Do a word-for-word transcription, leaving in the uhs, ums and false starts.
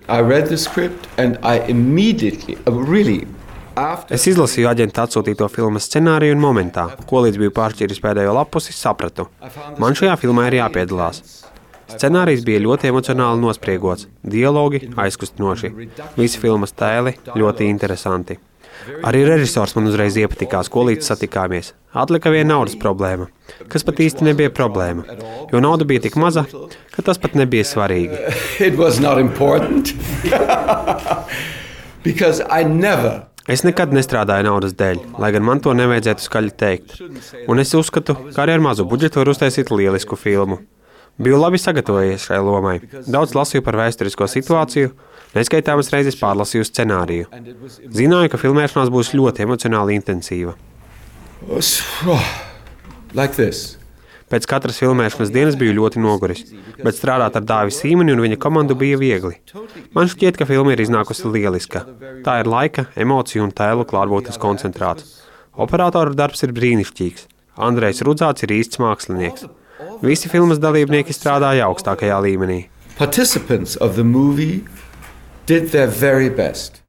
I read the script and I immediately, really, Es izlasīju aģenta atsūtīto filmas scenāriju un momentā, ko līdz biju pāršķīris pēdējo lapusi, sapratu. Man šajā filmā ir jāpiedalās. Scenārijs bija ļoti emocionāli nospriegots, dialogi aizkustinoši, visi filmas tēli ļoti interesanti. Arī režisors man uzreiz iepatikās, ko līdz satikāmies. Atlika viena naudas problēma, kas pat īsti nebija problēma, jo nauda bija tik maza, ka tas pat nebija svarīgi. It was not important. Because I never Es nekad nestrādāju naudas dēļ, lai gan man to nevajadzētu skaļi teikt. Un es uzskatu, ka arī ar mazu budžetu var uztaisīt lielisku filmu. Biju labi sagatavojies šai lomai. Daudz lasīju par vēsturisko situāciju, neskaitāmas reizes pārlasīju scenāriju. Zināju, ka filmēšanās būs ļoti emocionāli intensīva. Like this. Pēc katras filmēšanas dienas biju ļoti noguris, bet strādāt ar Dāvi Sīmani un viņa komandu bija viegli. Man šķiet, ka filma ir iznākusi lieliska. Tā ir laika, emociju un tēlu klātbūtnes koncentrāts. Operatora darbs ir brīnišķīgs. Andrejs Rudzāts ir īsts mākslinieks. Visi filmas dalībnieki strādāja augstākajā līmenī. Participants of the movie did their very best.